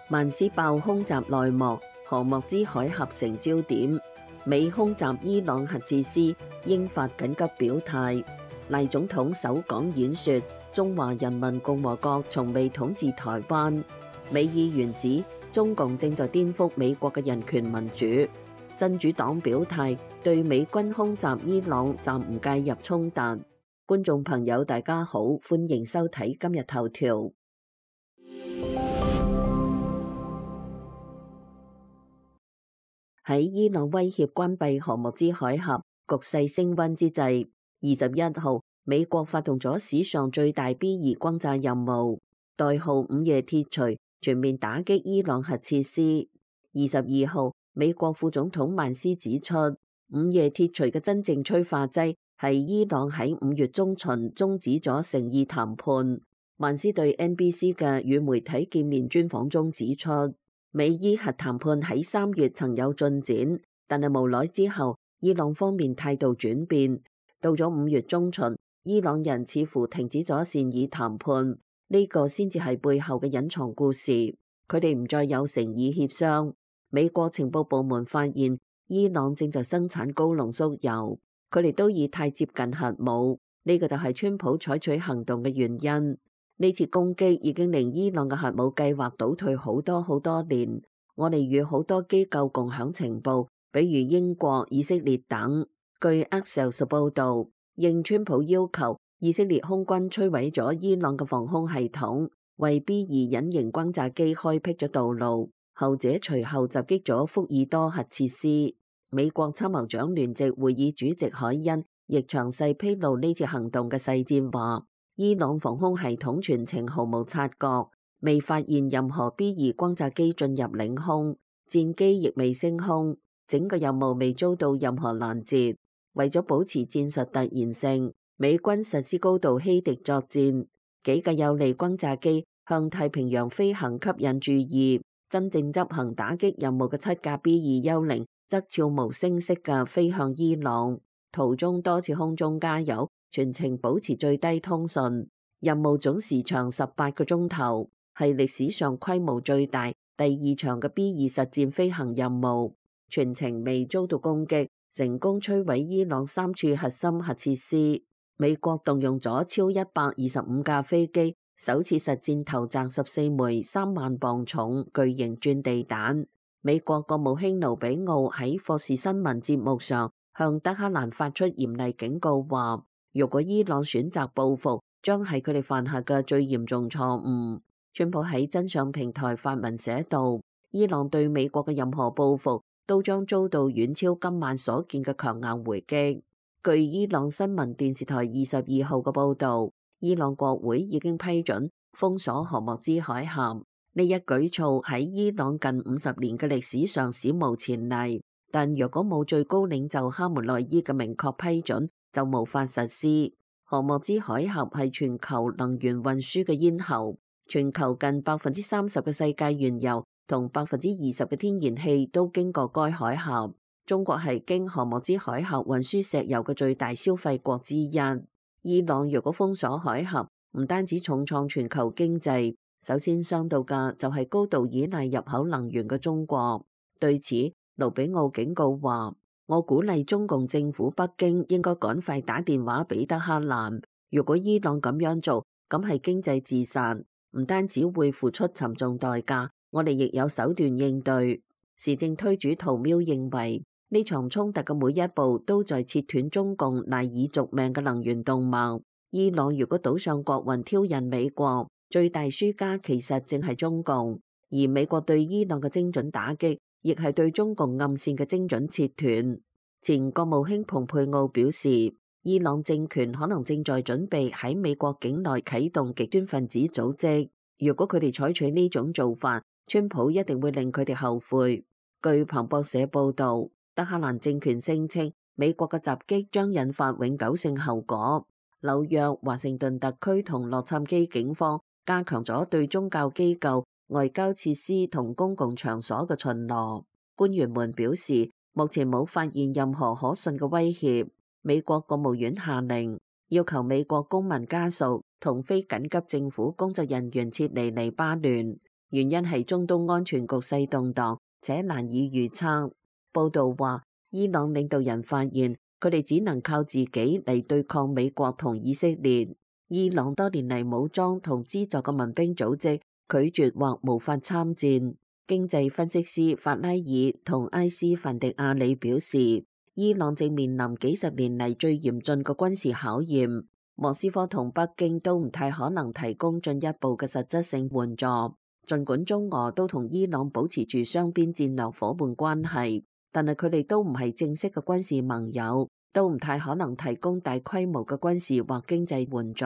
曼斯爆空襲內幕，荷莫茲海峽成焦點。美空襲伊朗核設施，英法緊急表態。賴總統首港演說，中華人民共和國從未統治台灣。美議員指中共正在顛覆美國嘅人權民主。真主黨表態，對美軍空襲伊朗暫唔介入衝突。觀眾朋友大家好，歡迎收睇今日頭條。喺伊朗威脅關閉荷莫茲海峽，局勢升溫之際，21號美國發動咗史上最大 B2 轟炸任務，代號午夜鐵錘，全面打擊伊朗核設施。22號美國副總統曼斯指出，午夜鐵錘嘅真正催化劑係伊朗喺5月中旬終止咗誠意談判。曼斯對 NBC 嘅與媒體見面專訪中指出，美伊核談判喺3月曾有進展，但係無奈之後，伊朗方面態度轉變。到咗5月中旬，伊朗人似乎停止咗善意談判，呢個先至係背後嘅隱藏故事。佢哋唔再有誠意協商。美國情報部門發現，伊朗正在生產高濃縮鈾，佢哋都已太接近核武，呢個就係川普採取行動嘅原因。呢次攻擊已經令伊朗嘅核武計劃倒退好多年。我哋與好多機構共享情報，比如英國、以色列等。據 Axios 報道，應川普要求，以色列空軍摧毀咗伊朗嘅防空系統，為 B2 隱形轟炸機開闢咗道路。後者隨後襲擊咗福爾多核設施。美國參謀長聯席會議主席海恩亦詳細披露呢次行動嘅細節，話伊朗防空系統全程毫無察覺，未發現任何 B2 轟炸機進入領空，戰機亦未升空，整個任務未遭到任何攔截。為咗保持戰術突然性，美軍實施高度欺敵作戰，幾架有利轟炸機向太平洋飛行吸引注意。真正執行打擊任務嘅7架 B2 幽靈則悄無聲息嘅飛向伊朗，途中多次空中加油，全程保持最低通訊。任務總時長18個鐘頭，係歷史上規模最大第2場嘅 B2 實戰飛行任務，全程未遭到攻擊，成功摧毀伊朗3處核心核設施。美國動用咗超125架飛機，首次實戰投擲14枚3萬磅重巨型鑽地彈。美國國務卿盧比奧喺霍士新聞節目上向德黑蘭發出嚴厲警告，話如果伊朗選擇報復，將係佢哋犯下嘅最嚴重錯誤。川普喺真相平台發文寫道，伊朗對美國嘅任何報復都將遭到遠超今晚所見嘅強硬回擊。據伊朗新聞電視台22號嘅報道，伊朗國會已經批准封鎖荷莫茲海峽，呢一舉措喺伊朗近50年嘅歷史上史無前例。但若果冇最高領袖哈梅內伊嘅明確批准，就無法實施。荷莫茲海峽係全球能源運輸嘅咽喉，全球近30%嘅世界原油同20%嘅天然氣都經過該海峽。中國係經荷莫茲海峽運輸石油嘅最大消費國之一。伊朗若果封鎖海峽，唔單止重創全球經濟，首先傷到嘅就係高度依賴入口能源嘅中國。對此，盧比奧警告話，我鼓勵中共政府北京應該趕快打電話俾德黑蘭。如果伊朗咁樣做，咁係經濟自殺，唔單止會付出沉重代價，我哋亦有手段應對。時政推主圖喵認為，呢場衝突嘅每一步都在切斷中共賴以續命嘅能源動脈。伊朗如果賭上國運挑釁美國，最大輸家其實正係中共，而美國對伊朗嘅精準打擊，亦係對中共暗線嘅精準切斷。前國務卿蓬佩奧表示，伊朗政權可能正在準備喺美國境內啟動極端分子組織，如果佢哋採取呢種做法，川普一定會令佢哋後悔。據彭博社報道，德黑蘭政權聲稱美國嘅襲擊將引發永久性後果。紐約、華盛頓特區同洛杉磯警方加強咗對宗教機構、外交設施同公共場所嘅巡邏。官員們表示，目前冇發現任何可信嘅威脅。美國國務院下令要求美國公民家屬同非緊急政府工作人員撤離黎巴嫩。原因係中東安全局勢動盪且難以預測。報道話，伊朗領導人發現佢哋只能靠自己嚟對抗美國同以色列。伊朗多年嚟武裝同資助嘅民兵組織拒絕或無法參戰。經濟分析師法拉爾同埃斯凡迪亞里表示，伊朗正面臨幾十年嚟最嚴峻嘅軍事考驗。莫斯科同北京都唔太可能提供進一步嘅實質性援助。儘管中俄都同伊朗保持住雙邊戰略夥伴關係，但係佢哋都唔係正式嘅軍事盟友，都唔太可能提供大規模嘅軍事或經濟援助。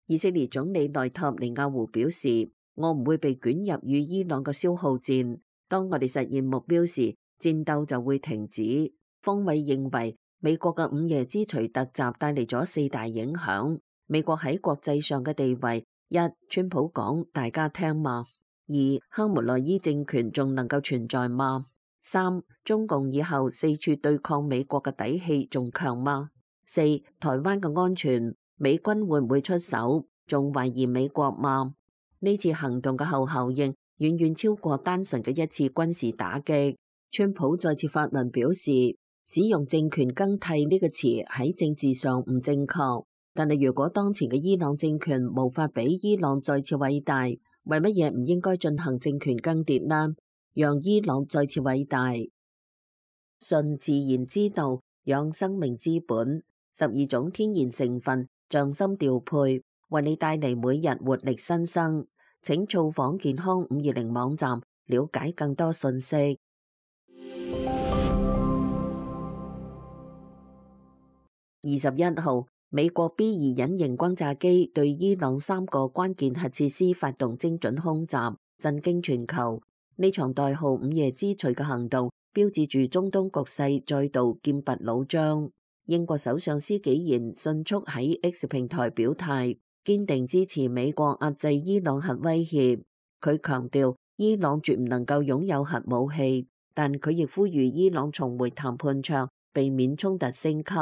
以色列總理內塔尼亞胡表示，我唔會被捲入與伊朗嘅消耗戰。當我哋實現目標時，戰鬥就會停止。方偉認為，美國嘅午夜之錘突襲帶嚟咗4大影響。美國喺國際上嘅地位：一、川普講大家聽嗎？2、哈梅內伊政權仲能夠存在嗎？3、中共以後四處對抗美國嘅底氣仲強嗎？4、台灣嘅安全，美軍會唔會出手？仲懷疑美國嗎？呢次行動嘅後效應遠遠超過單純嘅一次軍事打擊。川普再次發文表示，使用政權更替呢個詞喺政治上唔正確，但係如果當前嘅伊朗政權無法比伊朗再次偉大，為乜嘢唔應該進行政權更迭呢？讓伊朗再次偉大。順自然之道，養生命之本，12種天然成分，匠心調配，為你帶嚟每日活力新生。請造訪健康520網站，了解更多信息。21號，美國 B2 隱形轟炸機對伊朗3個關鍵核設施發動精準空襲，震驚全球。呢場代號午夜之錘嘅行動，標誌住中東局勢再度劍拔弩張。英國首相施紀賢迅速喺 X 平台表態，堅定支持美國壓制伊朗核威脅。佢強調，伊朗絕唔能夠擁有核武器，但佢亦呼籲伊朗重回談判桌，避免衝突升級。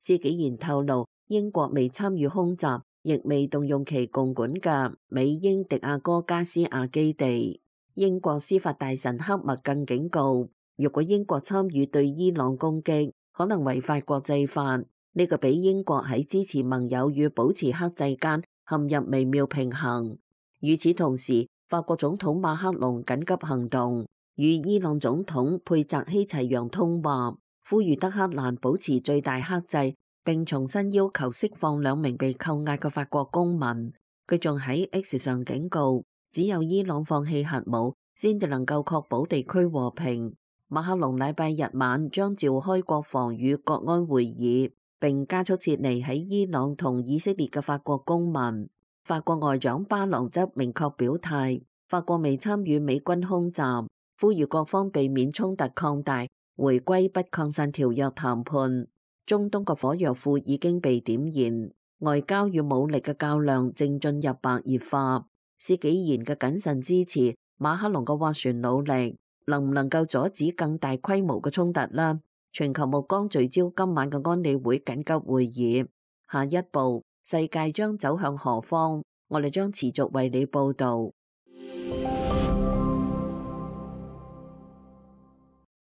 施紀賢透露，英國未參與空襲，亦未動用其共管嘅美英迪亞哥加斯亞基地。英國司法大臣克默更警告，如果英國參與對伊朗攻擊，可能違反國際法。呢個比英國喺支持盟友與保持克制間陷入微妙平衡。與此同時，法國總統馬克龍緊急行動，與伊朗總統佩澤希齊揚通話，呼籲德黑蘭保持最大克制，並重新要求釋放2名被扣押嘅法國公民。佢仲喺 X 上警告，只有伊朗放棄核武，先至能夠確保地區和平。馬克龍禮拜日晚將召開國防與國安會議，並加速撤離喺伊朗同以色列嘅法國公民。法國外長巴朗則明確表態，法國未參與美軍空襲，呼籲各方避免衝突擴大，回歸不擴散條約談判。中東嘅火藥庫已經被點燃，外交與武力嘅較量正進入白熱化。施紀賢嘅謹慎支持，馬克龍嘅斡旋努力，能唔能夠阻止更大規模嘅衝突呢？全球目光聚焦今晚嘅安理會緊急會議，下一步世界將走向何方？我哋將持續為你報道。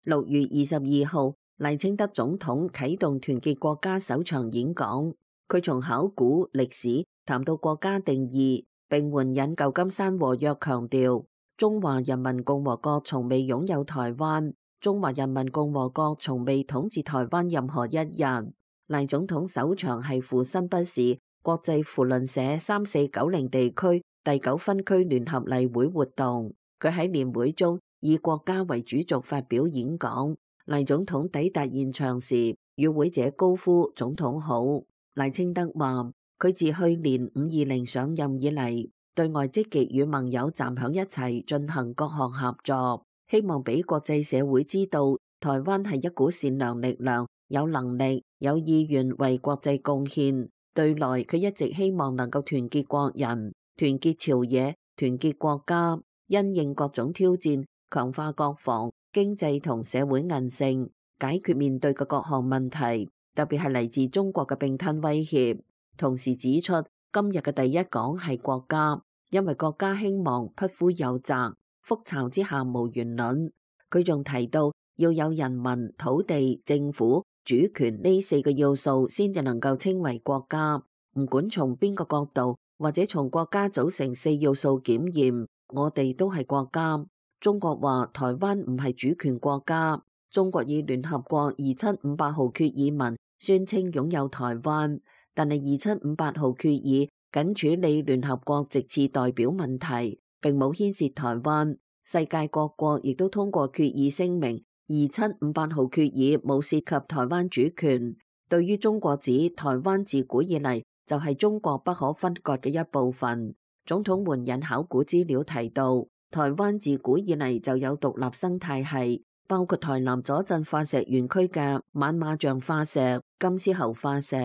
6月22號，賴清德總統啟動團結國家首場演講，佢從考古歷史談到國家定義，並援引舊金山和約，強調中華人民共和國從未擁有台灣，中華人民共和國從未統治台灣任何一日。賴總統首場係赴新北市國際扶輪社3490地區第9分區聯合例會活動，佢喺年會中以國家為主軸發表演講。賴總統抵達現場時，與會者高呼總統好。賴清德話，佢自去年520上任以嚟，對外積極與盟友站響一齊進行各項合作，希望俾國際社會知道台灣係一股善良力量，有能力有意願為國際貢獻。對內佢一直希望能夠團結國人，團結朝野，團結國家，因應各種挑戰，強化國防、經濟同社會韌性，解決面對嘅各項問題，特別係嚟自中國嘅併吞威脅。同時指出，今日嘅第一講係國家，因為國家興亡，匹夫有責，覆巢之下無完卵。佢仲提到要有人民、土地、政府、主權呢4個要素先至能夠稱為國家。唔管從邊個角度或者從國家組成4要素檢驗，我哋都係國家。中國話台灣唔係主權國家。中國以聯合國2758號決議文宣稱擁有台灣，但係2758號決議僅處理聯合國席次代表問題，並冇牽涉台灣。世界各國亦都通過決議聲明，2758號決議冇涉及台灣主權。對於中國指台灣自古以嚟就係中國不可分割嘅一部分，總統援引考古資料提到，台灣自古以嚟就有獨立生態系，包括台南左鎮化石園區嘅猛獁象化石、金絲猴化石、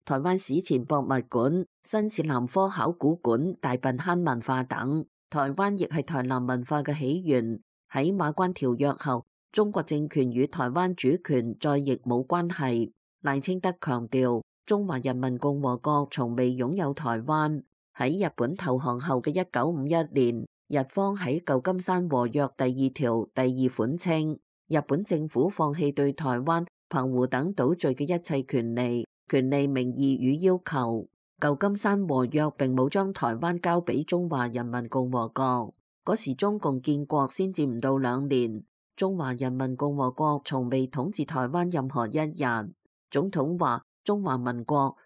台灣史前博物館、新市南科考古館、大坌坑文化等。台灣亦係台南文化嘅起源。喺馬關條約後，中國政權與台灣主權再亦冇關係。賴清德強調，中華人民共和國從未擁有台灣。喺日本投降後嘅1951年，日方喺舊金山和約第2條第2款稱，日本政府放棄對台灣、澎湖等島嶼嘅一切權利、名義與要求。舊金山和約並冇將台灣交俾中華人民共和國，嗰時中共建國先至唔到2年，中華人民共和國從未統治台灣任何一日。總統話：中華民國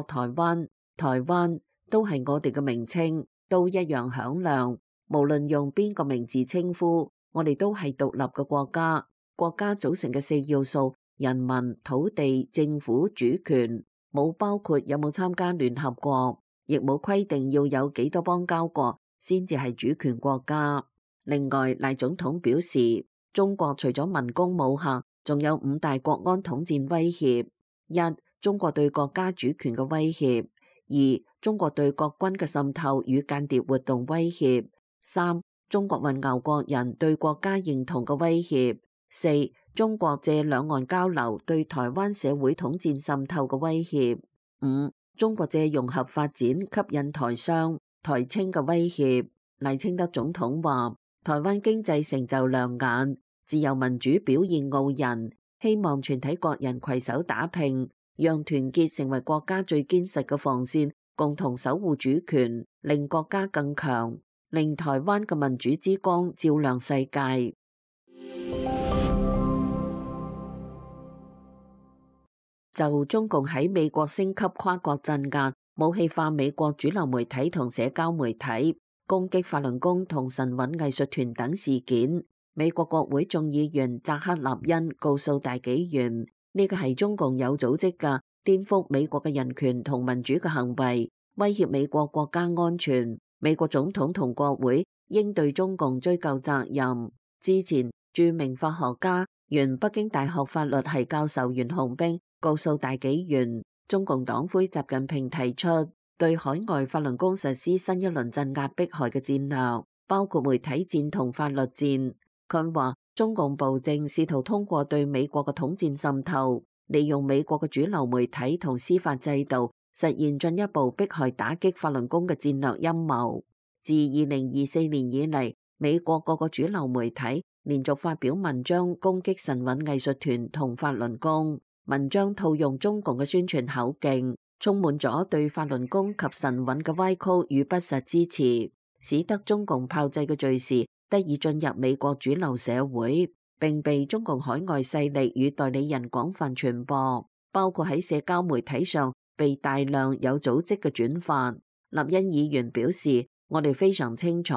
台灣，台灣都係我哋嘅名稱，都一樣響亮。無論用邊個名字稱呼，我哋都係獨立嘅國家。國家組成嘅4要素：人民、土地、政府、主權。冇包括有冇參加聯合國，亦冇規定要有幾多邦交國先至係主權國家。另外，賴總統表示，中國除咗文攻武嚇，仲有5大國安統戰威脅： 1. 中國對國家主權嘅威脅； 2. 中國對國軍嘅滲透與間諜活動威脅； 3. 中國混淆國人對國家認同嘅威脅； 4. 中國借兩岸交流對台灣社會統戰滲透嘅威脅； 5. 中國借融合發展吸引台商、台青嘅威脅。賴清德總統話：台灣經濟成就亮眼，自由民主表現傲人，希望全體國人攜手打拼，讓團結成為國家最堅實嘅防線，共同守護主權，令國家更強，令台灣嘅民主之光照亮世界。就中共喺美國升級跨國鎮壓、武器化美國主流媒體同社交媒體、攻擊法輪功同神韻藝術團等事件，美國國會眾議員扎克納恩告訴大紀元，呢個係中共有組織嘅顛覆美國嘅人權同民主嘅行為，威脅美國國家安全。美國總統同國會應對中共追究責任。之前，著名法學家、原北京大學法律系教授袁洪兵告訴大紀元，中共黨魁習近平提出對海外法輪功實施新一輪鎮壓迫害嘅戰略，包括媒體戰同法律戰。佢話中共暴政試圖通過對美國嘅統戰滲透，利用美國嘅主流媒體同司法制度，實現進一步迫害打擊法輪功嘅戰略陰謀。自2024年以嚟，美國各個主流媒體連續發表文章攻擊神韻藝術團同法輪功。文章套用中共嘅宣傳口徑，充滿咗對法輪功及神韻嘅歪曲與不實支持，使得中共炮製嘅敘事得以進入美國主流社會，並被中共海外勢力與代理人廣泛傳播，包括喺社交媒體上被大量有組織嘅轉發。立恩議員表示，我哋非常清楚，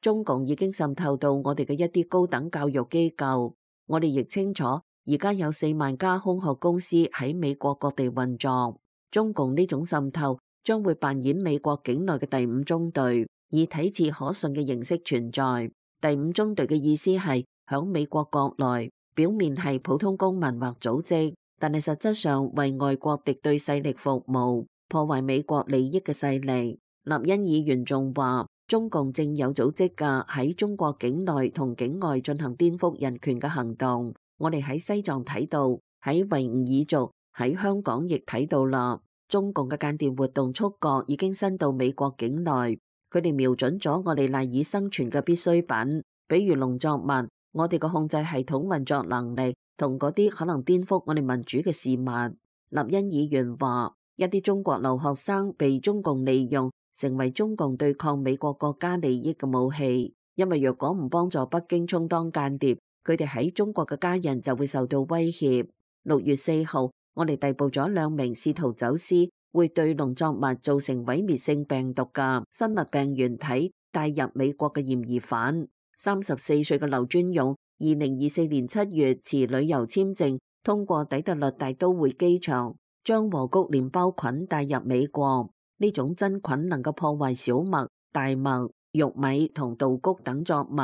中共已經滲透到我哋嘅一啲高等教育機構，我哋亦清楚。而家有4萬家空殼公司喺美國各地運作，中共呢種滲透將會扮演美國境內嘅第5中隊，以睇似可信嘅形式存在。第5中隊嘅意思係響美國國內，表面係普通公民或組織，但係實質上為外國敵對勢力服務，破壞美國利益嘅勢力。立恩議員仲話，中共正有組織嘅喺中國境內同境外進行顛覆人權嘅行動。我哋喺西藏睇到，喺維吾爾族，喺香港亦睇到啦。中共嘅間諜活動觸角已經伸到美國境內。佢哋瞄準咗我哋賴以生存嘅必需品，比如農作物。我哋嘅控制系統運作能力同嗰啲可能顛覆我哋民主嘅事物。立恩議員話，一啲中國留學生被中共利用，成為中共對抗美國國家利益嘅武器。因為若果唔幫助北京充當間諜，佢哋喺中國嘅家人就會受到威脅。6月4號，我哋逮捕咗2名試圖走私會對農作物造成毀滅性病毒嘅生物病原體帶入美國嘅嫌疑犯。34歲嘅劉尊勇，2024年7月持旅遊簽證通過底特律大都會機場，將禾谷連包菌帶入美國。呢種真菌能夠破壞小麥、大麥、玉米同稻穀等作物，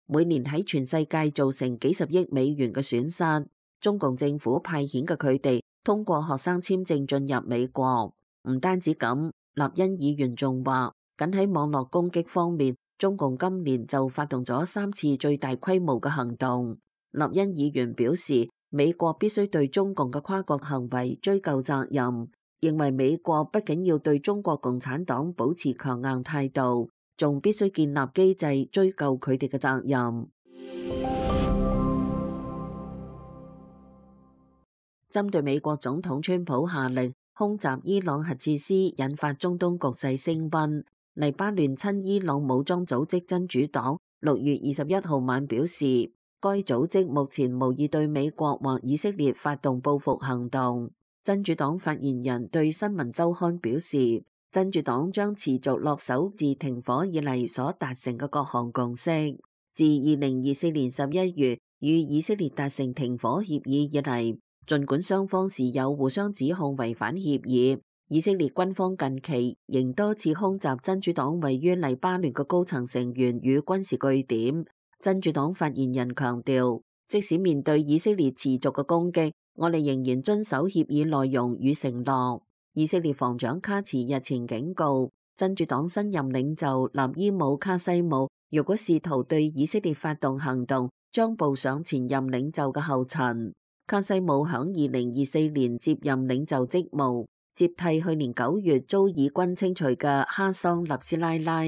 每年喺全世界造成幾十億美元嘅損失。中共政府派遣嘅佢哋通過學生簽證進入美國。唔單止咁，立恩議員仲話，僅喺網絡攻擊方面，中共今年就發動咗3次最大規模嘅行動。立恩議員表示，美國必須對中共嘅跨國行為追究責任，認為美國不僅要對中國共產黨保持強硬態度，仲必須建立機制追究佢哋嘅責任。針對美國總統川普下令空襲伊朗核設施，引發中東局勢升溫。黎巴嫩親伊朗武裝組織真主黨6月21號晚表示，該組織目前無意對美國或以色列發動報復行動。真主黨發言人對新聞週刊表示，真主黨將持續落手自停火以嚟所達成嘅各項共識。自2024年11月與以色列達成停火協議以嚟，儘管雙方時有互相指控違反協議，以色列軍方近期仍多次空襲真主黨位於黎巴嫩嘅高層成員與軍事據點。真主黨發言人強調，即使面對以色列持續嘅攻擊，我哋仍然遵守協議內容與承諾。以色列防長卡茨日前警告，真主黨新任領袖納伊姆卡西姆，如果試圖對以色列發動行動，將步上前任領袖嘅後塵。卡西姆響2024年接任領袖職務，接替去年9月遭以軍清除嘅哈桑納斯拉拉。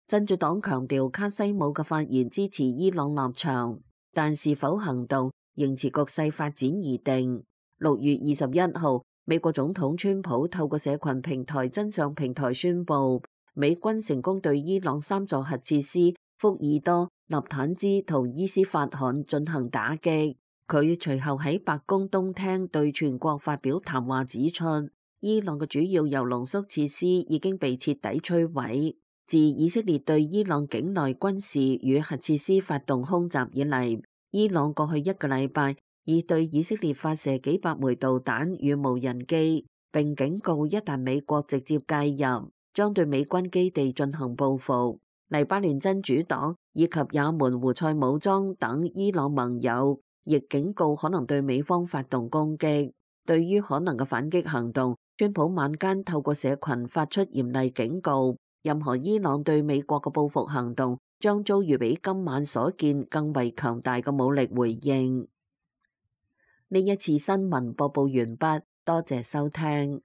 真主黨強調卡西姆嘅發言支持伊朗立場，但是否行動仍持局勢發展而定。6月21號，美國總統川普透過社群平台真相平台宣布，美軍成功對伊朗3座核設施福爾多、納坦茲同伊斯法罕進行打擊。佢隨後喺白宮東廳對全國發表談話，指出伊朗嘅主要鈾濃縮設施已經被徹底摧毀。自以色列對伊朗境內軍事與核設施發動空襲以嚟，伊朗過去1個禮拜已對以色列發射幾百枚導彈與無人機，並警告一旦美國直接介入，將對美軍基地進行報復。黎巴嫩真主黨以及也門胡塞武裝等伊朗盟友亦警告可能對美方發動攻擊。對於可能嘅反擊行動，川普晚間透過社群發出嚴厲警告，任何伊朗對美國嘅報復行動將遭遇比今晚所見更為強大嘅武力回應。呢一次新聞播報完畢，多謝收聽。